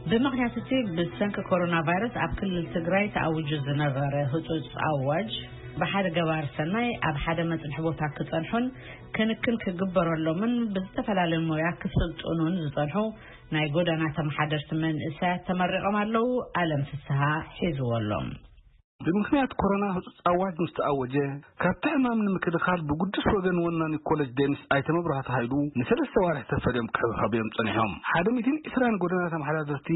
ብምኽንያት እቲ ብሰንኪ ኮሮና ቫይረስ ኣብ ክልል ትግራይ ተኣዊጁ ዝነበረ ህጹጽ ኣዋጅ፣ ብሓደ ገባር ሰናይ ኣብ ሓደ መጽንሒ ቦታ ክጸንሑን ክንክን ክግበረሎምን ብዝተፈላለየ ሞያ ክስልጥኑን ዝጸንሑ ናይ ጎደና ተመሓደርቲ መንእሰያት ተመሪቖም ኣለዉ። ኣለም ፍስሃ ሒዝዎ ኣሎ። ብምኽንያት ኮሮና ህጹጽ ኣዋጅ ምስ ተኣወጀ፣ ካብቲ ሕማም ንምክልኻል ብግዱስ ወገን ወናኒ ኮለጅ ዴንስ ኣይተ መብራህቱ ሃይሉ ንሰለስተ ዋርሒ ተፈልዮም ክሕብሐቡ እዮም ጸኒሖም። ሓደ ሚእትን ዕስራን ጎደና ተመሓዳድርቲ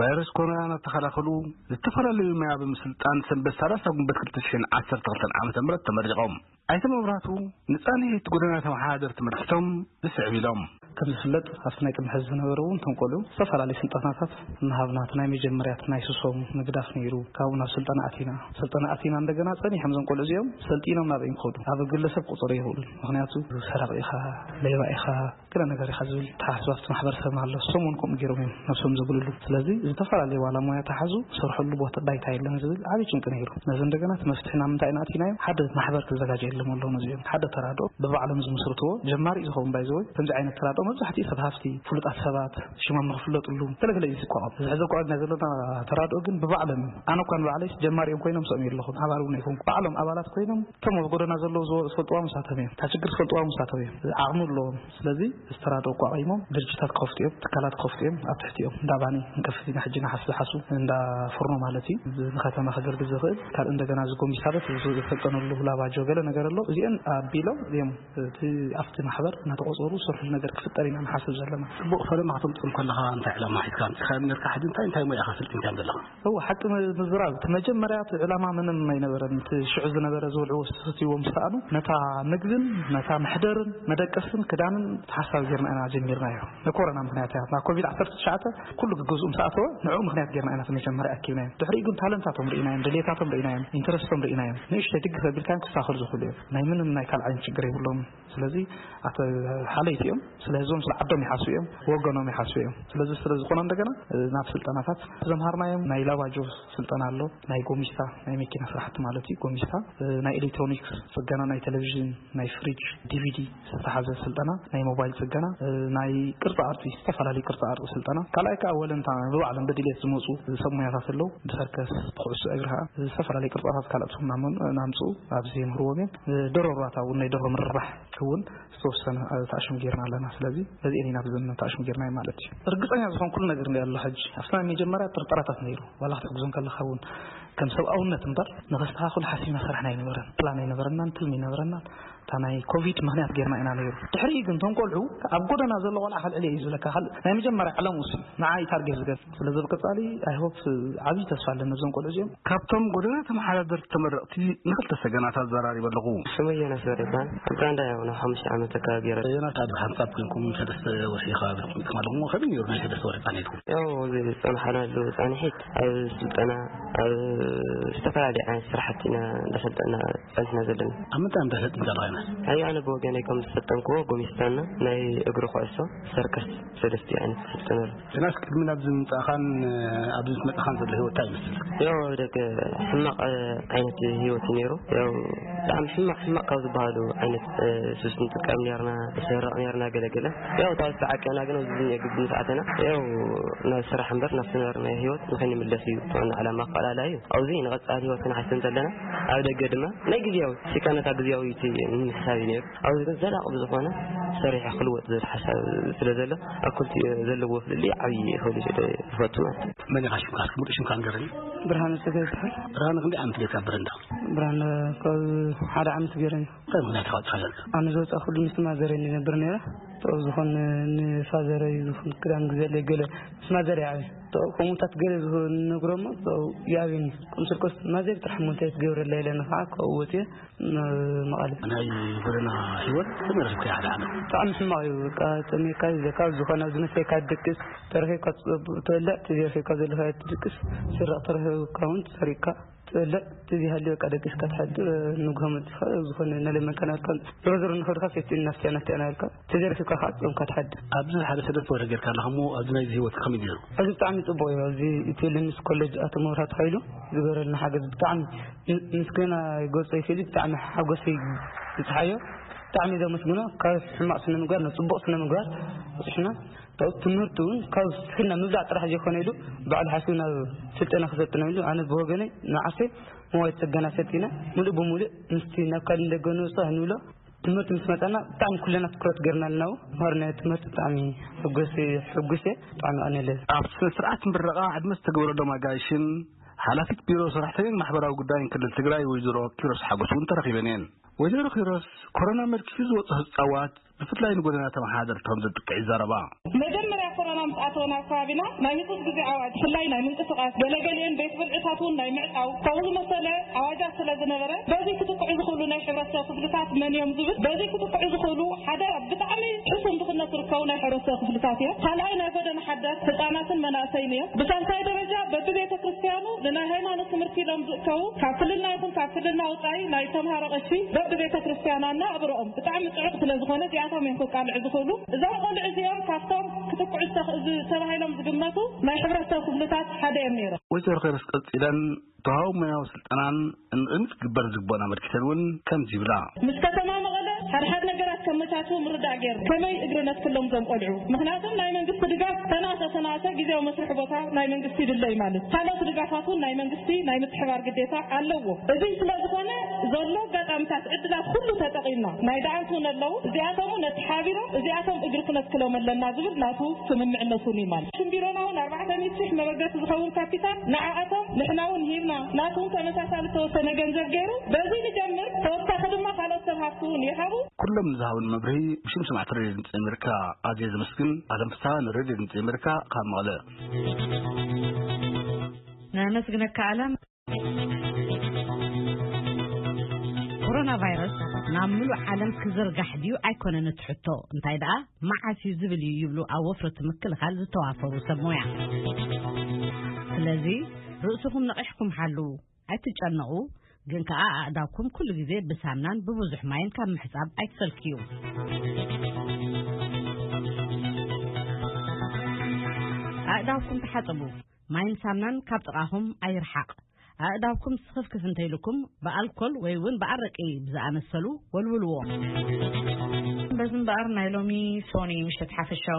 ቫይረስ ኮሮና እናተኸላኸሉ ዝተፈላለዩ መያ ብምስልጣን ሰንበት ሰላሳ ጉንበት ክልተ ሽሕን ዓሰርተ ክልተን ዓመተ ምህረት ተመሪቖም። ኣይተ መብራህቱ ንጻንሒት ጎደና ተመሓዳድርቲ መርሕቶም ዝስዕብ ኢሎም። ከም ዝፍለጥ ኣብቲ ናይ ቅድሚ ሕዚ ዝነበረ እውን እቶም ቆልዑ ዝተፈላለዩ ስልጠናታት እናሃብና እቲ ናይ መጀመርያ እቲ ናይ ስሶም ምግዳፍ ነይሩ። ካብኡ ናብ ስልጠና ኣቲና፣ ስልጠና ኣቲና እንደገና ጸኒሖም እዞም ቆልዑ እዚኦም ሰልጢኖም ናበይ ክኸዱ ኣብ ግለሰብ ቁፅር የብሉን። ምክንያቱ ሰራቂ ኢኻ፣ ሌባ ኢኻ፣ ገለ ነገር ኢኻ ዝብል ተሓስባ ኣብቲ ማሕበረሰብና ኣሎ። እሶም እውን ከምኡ ገይሮም እዮም ነብሶም ዘጉልሉ። ስለዚ ዝተፈላለዩ ዋላ ሞያ ተሓዙ ዝሰርሐሉ ቦታ ባይታ የለን ዝብል ዓብዪ ጭንቂ ነይሩ። ነዚ እንደገና እቲ መፍትሒ ናብ ምንታይ ኢና ኣቲናዮ? ሓደ ማሕበር ክዘጋጀየሎም ኣለዎ። ነዚኦም ሓደ ተራድኦ ብባዕሎም ዝምስርትዎ ጀማሪ ዝኸውን ባይዘወይ ከምዚ ዓይነት ተራድኦ መብዛሕትኡ ሰብ ሃፍቲ፣ ፍሉጣት ሰባት ሽሞም ንክፍለጥሉ ገለገለ እዩ ዝቋቋም። እዚ ሕዚ እኳ ኣብና ዘለና ተራድኦ ግን ብባዕሎም እዮም። ኣነ እኳ ንባዕለይ ጀማሪ እዮም ኮይኖም ሰኦም የለኹም፣ ኣባል እውን ኣይኮንኩ። ባዕሎም ኣባላት ኮይኖም እቶም ኣብ ጎደና ዘለዉ ዝወ- ዝፈልጥዋ ምሳቶም እዮም። እታ ችግር ዝፈልጥዋ ምሳቶም እዮም። ዓቕሚ ኣለዎም። ስለዚ ዝተራድኦ ኣቋቒሞም ድርጅታት ክኸፍቱ እዮም፣ ትካላት ክኸፍቱ እዮም። ኣብ ትሕቲኦም እንዳ ባኒ ክንከፍት ኢና ሕጂ ንሓስ ዝሓሱ እንዳ ፍርኖ ማለት እዩ። ንከተማ ከገልግል ዝኽእል ካልእ እንደገና ዝጎሚስታበት ዝሰልጠነሉ ላባጆ ገለ ነገር ኣሎ። እዚአን ኣቢሎም እዮም እቲ ኣብቲ ማሕበር እናተቆፀሩ ዝሰርሕሉ ነገር ክፍጠር ኢና ንሓስብ ዘለና። ጽቡቕ። ፈለማ ከተምፅኦም ከለኻ እንታይ ዕላማ ሒዝካ ኣምፂኻዮም ነርካ? ሕጂ እንታይ እንታይ ሞያ ኢኻ ሰልጢንካዮም ዘለኻ? እወ፣ ሓቂ ም- ምዝራብ እቲ መጀመርያ እቲ ዕላማ ምንም ኣይነበረን። እቲ ሽዑ ዝነበረ ዝብልዕዎ ዝስትይዎ ምስ ሰኣኑ ነታ ምግብን ነታ መሕደርን መደቀስን ክዳንን ሓሳብ ጌርና ኢና ጀሚርናዮ። ንኮሮና ምክንያት እያ። ናብ ኮቪድ ዓሰርተ ትሽዓተ ኩሉ ግገዝኡ ምስ ኣተወ ንዕኡ ምክንያት ጌርና ኢና እቲ መጀመርያ ኣኪብናዮም። ድሕሪኡ ግን ታለንታቶም ርኢናዮም፣ ድሌታቶም ርኢናዮም፣ ኢንተረስቶም ርኢናዮም። ንእሽተይ ድግፍ ኣቢልካዮም ክሳኸሉ ዝኽእሉ እዮም። ናይ ምንም ናይ ካልኣይን ችግር የብሎም። ስለዚ ኣተ ሓለይቲ እዮም። ስለ ህዝቦም ስለ ዓዶም ይሓስቡ እዮም፣ ወገኖም ይሓስቡ እዮም። ስለዚ ስለ ዝኾነ እንደገና ናብ ስልጠናታት ዘምሃርናዮም ናይ ላባጆ ስልጠና ኣሎ፣ ናይ ጎሚስታ ናይ መኪና ስራሕቲ ማለት እዩ። ጎሚስታ ናይ ኤሌክትሮኒክስ ጽገና፣ ናይ ቴሌቪዥን፣ ናይ ፍሪጅ፣ ዲቪዲ ዝተሓዘ ስልጠና፣ ናይ ሞባይል ጽገና፣ ናይ ቅርጻ ቅርጺ፣ ዝተፈላለዩ ቅርጻ ቅርጺ ስልጠና። ካልኣይ ከዓ ወለንታ ብባዕሎም ብድሌት ዝመፁ ሰብ ሙያታት ኣለዉ። ብሰርከስ፣ ብኩዕሶ እግሪ ከዓ ዝተፈላለዩ ቅርጻታት ካልኦት ናምፅኡ ኣብዚ የምህርዎም እዮም። ደሮ ሩባታ እውን ናይ ደሮ ምርባሕ እውን ዝተወሰነ ተኣሽሙ ጌርና ኣለና። ስለዚ በዚአን ኢና ብዘን ተኣሽሙ ጌርናዮ ማለት እዩ። ርግፀኛ ዝኾን ኩሉ ነገር እንዲ ኣሎ። ሕጂ ኣብቲ ናይ መጀመርያ ጥርጠራታት ነይሩ። ዋላ ክትሕግዞም ከለካ እውን ከም ሰብኣውነት እምበር ንኸስተኻኽሉ ሓሲብና ሰራሕና ኣይነበረን። ፕላን ኣይነበረናን፣ ትልሚ ኣይነበረናን። እታ ናይ ኮቪድ ምክንያት ጌርና ኢና ነይሩ። ድሕሪኡ ግን እቶም ቆልዑ ኣብ ጎደና ዘሎ ቆልዓ ከልዕል እዩ ዝብለካ። ካልእ ናይ መጀመርያ ዓለሙ እሱ ንዓይ ታርጌት ዝገብ። ስለዚ ብቀጻሊ ኣይሆፕ ዓብዪ ተስፋ ኣለኒ ነዞም ቆልዑ እዚኦም። ካብቶም ጎደና ተመሓዳደርቲ ተመረቕቲ ንኽልተ ሰገናት ኣዘራሪበ ኣለኹ። ሽመይ ዮናስ በርሄ ይበሃል። ኣብ ኡጋንዳ ያው ናብ ሓሙሽተ ዓመት ኣካባቢ ገይረ። ዮናስ፣ ኣብ ሓንሳብ ኮይንኩም ሰለስተ ወርሒ ከባቢ ተቐሚጥኩም ኣለኹም። ከመይ ነይሩ ናይ ሰለስተ ወርሒ ጻንሒትኩም? ያው እዚ ዝጸናሕናሉ ጻንሒት ኣብ ስልጠና፣ ኣብ ዝተፈላለዩ ዓይነት ስራሕቲ ኢና እንዳሰልጠና ጸኒሕና ዘለና። ኣብ ምንታይ እንታይ ሰልጢንካ ኣለኻ ዮናስ? ኣይ ኣነ ብወገነይ ከም ዝሰልጠንክዎ ጎሚስታና ናይ እግሪ ኩዕሶ ሰርከስ ሰለስቲኡ ዓይነት ሰልጠነሉ። ዮናስ፣ ቅድሚ ናብዚ ምምጻእኻን ኣብዚ ምስ መጻኻን ዘሎ ህይወት እንታይ ይመስል? ያው ደገ ሕማቕ ዓይነት ህይወት እዩ ነይሩ። ያው ብጣዕሚ ሕማቕ ሕማቕ ካብ ዝበሃሉ ዓይነት ሱስ ንጥቀም ነርና፣ ንሰርቕ ነርና ገለገለ። ያው ታው ዝተዓቀና ግን ኣብዚ ግቢ ምስ ኣተና ያው ናብ ስራሕ እምበር ናብ ዝነበርናዮ ህይወት ንኸይንምለስ እዩ ዋና ዕላማ ኣፈላላይ እዩ። ኣብዚ ንቐጻሊ ህይወት ክንሓስብ እንተለና ኣብ ደገ ድማ ናይ ግዜያዊ ሲካ ነታ ግዜያዊት ንምሕሳብ እዩ ነይሩ። ኣብዚ ግን ዘላቒ ብዝኾነ ሰሪሐ ክልወጥ ዝብል ሓሳብ ስለ ዘሎ ኣብ ክልቲኡ ዘለዎ ፍልልይ ዓብዪ ክብል ዝፈቱ ማለት እዩ። መን ኢኻ ሽምካ? እስኪ ሙሉእ ሽምካ ንገረኒ። ብርሃነ ጸጋይ ይበሃል። ብርሃነ፣ ክንደይ ዓመት ጌርካ ኣብ በረንዳ? ብርሃነ ካብ ሓደ ዓመት ገይረኒ። እንታይ ምኽንያት ኢኻ ወጺኻ ነርካ? ኣነ ዝወጻእኩሉ ምስ ማዘረይ ንነብር ነይረ። ጥበብ ዝኾን ንፋዘረይ ዝኾን ክዳን ግዘለይ ገለ ምስ ማዘረይ ዓብየ። ጥበብ ከምኡታት ገለ ዝነግሮሞ ጥበብ ይኣብየኒ። ከም ስርቆስ ማዘር ጥራሕ እሞ እንታይ ትገብረላ ኢለኒ ከዓ ካብኡ ወፅየ መቐለ። ናይ ጎደና ህይወት ከመይ ረኺብካዮ ሓደ ዓመት? ብጣዕሚ ሕማቕ እዩ። በቃ ጠሜካ ይብለካ፣ ዝኾነ ኣብዚ መስተካ ትድቅስ፣ ተረኺብካ ትበልዕ፣ ተዘይረኺብካ ዘለኻዮ ትድቅስ፣ ስረቕ ተረኺብካ እውን ትሰሪቕካ ትበልዕ፣ ተዘይሃልዩ በቃ ደቂስካ ትሓድር። ንግሆ መፂኻ ዝኾነ እናለመንካ ናብልካ ዞሮ ዞሮ ንኸድካ ሴፍቲ ናፍቲያ ናፍቲያ ናብልካ፣ ተዘይረኺብካ ከዓ ጾምካ ትሓድር። ኣብዚ ሓደ ሰለስተ ወርሒ ጌርካ ኣለኻ እሞ ኣብዚ ናይዚ ህይወት ከመይ ነይሩ? እዚ ብጣዕሚ ጽቡቕ እዩ። ኣብዚ እቲ ልምስ ኮሌጅ ኣቶ መብራህቱ ሃይሉ ዝገበረልና ሓገዝ ብጣዕሚ ም- ምስ ገና ገጾይ ከዚ ብጣዕሚ ሓጎሰይ ዝጽሓዮ ብጣዕሚ ዘመስግኖ። ካብ ሕማቕ ስነ ምግባር ናብ ጽቡቕ ስነ ምግባር በጺሕና። ትምህርቲ እውን ካብ ስክና ምብላዕ ጥራሕ ዘይኮነ ኢሉ ባዕሉ ሓሲቡ ናብ ስልጠና ክሰልጥና ኢሉ ኣነ ብወገነይ ንዓሰይ መዋይ ጽገና ሰልጢነ ሙሉእ ብሙሉእ ምስቲ ናብ ካልእ እንደገ ንውፅእ ንብሎ ትምህርቲ ምስ መፀና ብጣዕሚ ኩለና ትኩረት ገርና ኣለና። ምሃር ናይ ትምህርቲ ብጣዕሚ ሕጉስ ሕጉስ እየ። ብጣዕሚ ኣነለ ኣብ ስነ ስርዓት ምረቓ ዕድመ ዝተገበረሎም ኣጋይሽን ሓላፊት ቢሮ ሰራሕተኛን ማሕበራዊ ጉዳይን ክልል ትግራይ ወይዘሮ ኪሮስ ሓጎስ እውን ተረኺበን እየን። ወይዘሮ ኪሮስ ኮሮና መልኪሱ ዝወፅኦ ህፃዋት ብፍላይ ንጎደና ተመሓደርቲ ከም ዘጥቅዕ ይዛረባ። መጀመርያ ኮሮና ምስ ኣተወ ናብ ከባቢና ናይ ህፁፅ ግዜ ኣዋጅ ብፍላይ ናይ ምንቅስቃስ ገለገሊአን ቤት ብልዕታት እውን ናይ ምዕፃው ከምኡ ዝመሰለ ኣዋጃት ስለ ዝነበረ በዚ ክጥቅዑ ዝኽእሉ ናይ ሕብረተሰብ ክፍልታት መን እዮም ዝብል በዚ ክጥቅዑ ዝኽእሉ ሓደ ብጣዕሚ ሕሱም ድኽነት ዝርከቡ ናይ ሕብረተሰብ ክፍልታት እዮም። ካልኣይ ናይ ጎደና ሓደር ህፃናትን መናእሰይን እዮም። ብሳልሳይ ደረጃ በብቤተ ክርስቲያኑ ንናይ ሃይማኖት ትምህርቲ ኢሎም ዝእከቡ ካብ ክልልና ይኹን ካብ ክልልና ወፃኢ ናይ ተምሃሮ ቀሺ በብቤተ ክርስቲያናና ኣብረኦም ብጣዕሚ ፅዑቅ ስለ ዝኾነ እዚኣቶም እዮም ከቃልዑ ዝኽእሉ። እዞም ቆልዑ እዚኦም ካብቶም ክጥቅዑ ዝተኽ- ዝ- ተባሂሎም ዝግመቱ ናይ ሕብረተሰብ ክፍልታት ሓደ እዮም ነይሮም። ወይዘሮ ኸይረስ ቀፂለን ተዋህቦ ሞያዊ ስልጠናን እንቕድሚት ክግበር ዝግበኦን ኣመልኪተን እውን ከምዚ ይብላ። ምስ ከተማ መቐለ ሓድሓድ ነገራት ከመቻችው ምርዳእ ገይሩ ከመይ እግሪ ነትክሎም ዞም ቆልዑ ምክንያቱም ናይ መንግስቲ ድጋፍ ተናሰ ተናሰ ግዜያዊ መስርሒ ቦታ ናይ መንግስቲ ይድለ እዩ ማለት ካልኦት ድጋፋት እውን ናይ መንግስቲ ናይ ምትሕባር ግዴታ ኣለዎ። እዚ ስለ ዝኾነ ዘሎ ኣጋጣሚታት ዕድላት ኩሉ ተጠቒምና ናይ ደኣንት እውን ኣለዉ እዚኣቶም እውን ነተሓቢሮም እዚኣቶም እግሪ ክነትክሎም ኣለና ዝብል ናቱ ስምምዕነት እውን እዩ ማለት ሽም ቢሮና እውን ኣርባዕተ ሚእቲ ሺሕ መበገሲ ዝኸውን ካፒታል ንዓኣቶም ንሕና እውን ሂብና ናቱ እውን ተመሳሳሊ ዝተወሰነ ገንዘብ ገይሩ በዚ ንጀምር ተወሳኺ ድማ ካልኦት ሰብ ሃፍቲ እውን ይሃቡ። ኩሎም ንዝሃቡን መብርሂ ብሽም ስማዕቲ ሬድዮ ድምፂ ኣሜሪካ ኣዝየ ዘመስግን። ኣለም ፍስሃ ንሬድዮ ድምፂ ኣሜሪካ ካብ መቐለ። ነመስግነካ ኣለም። ኮሮና ቫይረስ ናብ ምሉእ ዓለም ክዝርጋሕ ድዩ ኣይኮነን እቲ ሕቶ እንታይ ደኣ መዓስ እዩ ዝብል እዩ ይብሉ ኣብ ወፍርቲ ምክልኻል ዝተዋፈሩ ሰብ ሞያ። ስለዚ ርእስኹም ነቒሕኩም ሓልዉ፣ ኣይትጨነቑ፣ ግን ከኣ ኣእዳውኩም ኩሉ ግዜ ብሳምናን ብብዙሕ ማይን ካብ ምሕጻብ ኣይትሰልክዩ። ኣእዳውኩም ተሓጸቡ፣ ማይን ሳምናን ካብ ጥቓኹም ኣይርሓቕ። ኣእዳውኩም ስኽፍክፍ እንተይልኩም ብኣልኮል ወይ እውን ብኣረቂ ብዝኣመሰሉ ወልውልዎ። በዚ እምበኣር ናይ ሎሚ ሶኒ ምሸት ሓፈሻዊ